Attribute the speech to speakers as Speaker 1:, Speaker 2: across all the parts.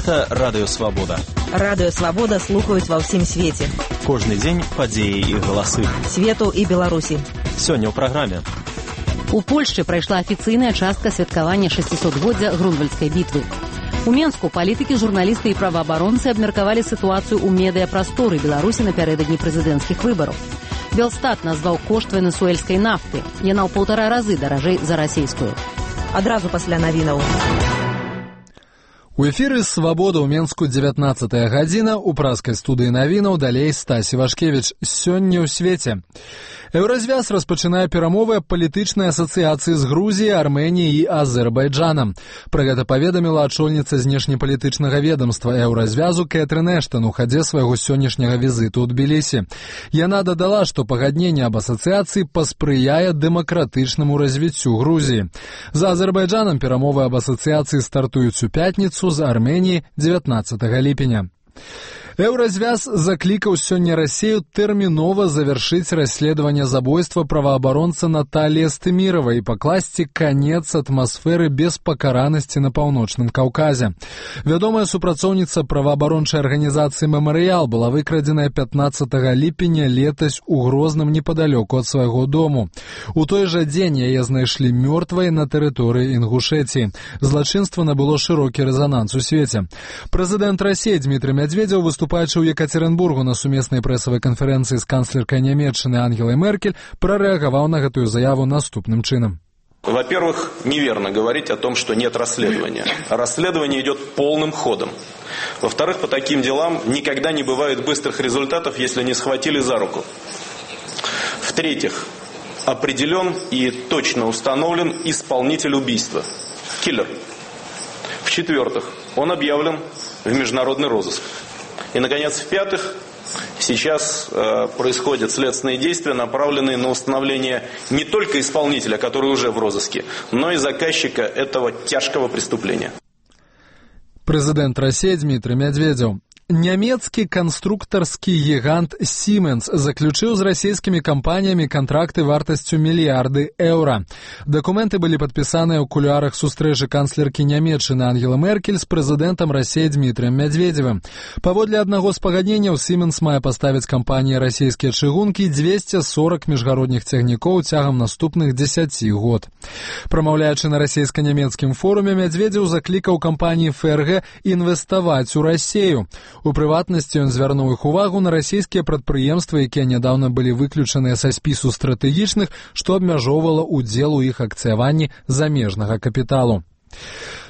Speaker 1: Гэта Радыё Свабода.
Speaker 2: Радыё Свабода слухаюць ва ўсім свеце.
Speaker 1: Кожны дзень падзеі і галасы.
Speaker 2: Свету і Беларусі.
Speaker 1: Сёння ў праграме.
Speaker 3: У Польшчы прайшла афіцыйная частка святкавання 600-годдзя Грунвальдскай бітвы. У Менску палітыкі, журналісты і праваабаронцы абмеркавалі сітуацыю ў медыяпрасторы Беларусі напярэдадні прэзідэнцкіх выбараў. Белстат назваў кошт венесуэльскай нафты. Яна ў 1,5 разы даражэй за расійскую.
Speaker 2: Адразу пасля навінаў.
Speaker 4: У эфіры «Свабода» ў Менску 19-я гадзіна. У праскай студыі навінаў далей Стасі Вашкевіч. Сёння ў свеце. Еўразвяз распачынае перамовы аб палітычнай асацыяцыі з Грузіяй, Арменіяй і Азербайджанам. Пра гэта паведаміла ачольніца знешнепалітычнага ведамства Еўразвязу Кэтрын Эштон у хадзе свайго сённяшняга візіту ў Тбілісі. Яна дадала, што пагадненне аб асацыяцыі паспрыяе дэмакратычнаму развіццю Грузіі. За Азербайджанам перамовы аб асацыяцыі стартуюць у пятніцу, з Арменіі 19 ліпеня. Еўразвяз заклікаў сёння Расію тэрмінова завяршыць расследаванне забойства праваабаронца Наталіі Стыміравай і пакласці канец атмасферы беспакаранасці на Паўночным Каўказе. Вядомая супрацоўніца праваабарончай арганізацыі «Мемарыял» была выкрадзеная 15 ліпеня летась у Грозным непадалёку ад свайго дому. У той жа дзень яе знайшлі мёртвай на тэрыторыі Інгушэціі. Злачынства набыло шырокі рэзананс у свеце. Прэзідэнт Расіі Дмітрый Медведзеў, выступаючы ў Екатеринбургу на сумеснай прэсавай канферэнцыі з канцлеркай Нямецчыны Ангелай Меркель, прарэагаваў на гэтую заяву наступным чынам.
Speaker 5: Во-первых, неверно говорить о том, что нет расследования. Расследование идет полным ходом. Во-вторых, по таким делам никогда не бывает быстрых результатов, если не схватили за руку. В-третьих, определен и точно установлен исполнитель убийства. Киллер. В-четвертых, он объявлен в международный розыск. И, наконец, в-пятых, сейчас происходят следственные действия, направленные на установление не только исполнителя, который уже в розыске, но и заказчика этого тяжкого преступления.
Speaker 4: Президент России Дмитрий Медведев. Нямецкі канструктарскі гігант Siemens заключыў з расійскімі кампаніямі кантракты вартасцю мільярды еўра. Дакументы былі падпісаныя ў кулуарах сустрэчы канцлеркі Нямецчыны Ангелы Меркель з прэзідэнтам Расіі Дмітрыем Медведзевым. Паводле аднаго з пагадненняў, Siemens мае паставіць кампаніі расійскія чыгункі 240 міжгародніх цягнікоў цягам наступных 10 год. Прамаўляючы на расійска-нямецкім форуме, Медведзеў заклікаў кампаніі ФРГ інвеставаць у Расію. У прыватнасці ён звярнуў іх увагу на расійскія прадпрыемствы, якія нядаўна былі выключаныя са спісу стратэгічных, што абмяжоўвала ўдзел у іх акцыяванні замежнага капіталу.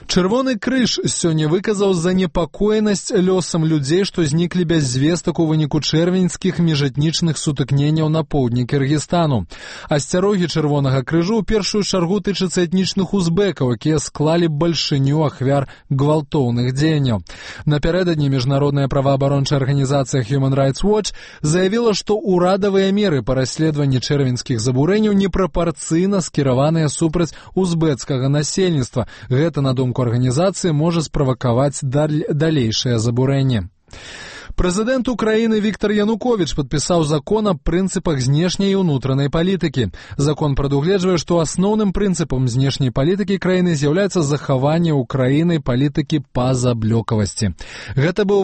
Speaker 4: Чырвоны крыж сёння выказаў занепакоенасць лёсам людзей, што зніклі без звестак у выніку чэрвеньскіх міжэтнічных сутыкненняў на поўдні Кыргызстану. Асцярогі чырвонага крыжу ў першую чаргу тычацца этнічных узбекаў, якія склалі бальшыню ахвяр гвалтоўных дзеянняў. Напярэдадні міжнародная праваабарончая арганізацыя Human Rights Watch заявіла, што ўрадавыя меры па расследаванні чэрвеньскіх забурэнняў непрапарцыйна скіраваныя супраць узбецкага насельніцтва. Гэта, на думку арганізацыі, можа справакаваць далейшае забурэнне. Прэзідэнт Украіны Віктор Януковіч падпісаў закон аб прынцыпах знешняй і ўнутранай палітыкі. Закон прадугледжвае, што асноўным прынцыпам знешняй палітыкі краіны з'яўляецца захаванне Украінай палітыкі пазаблёкавасці. Гэта быў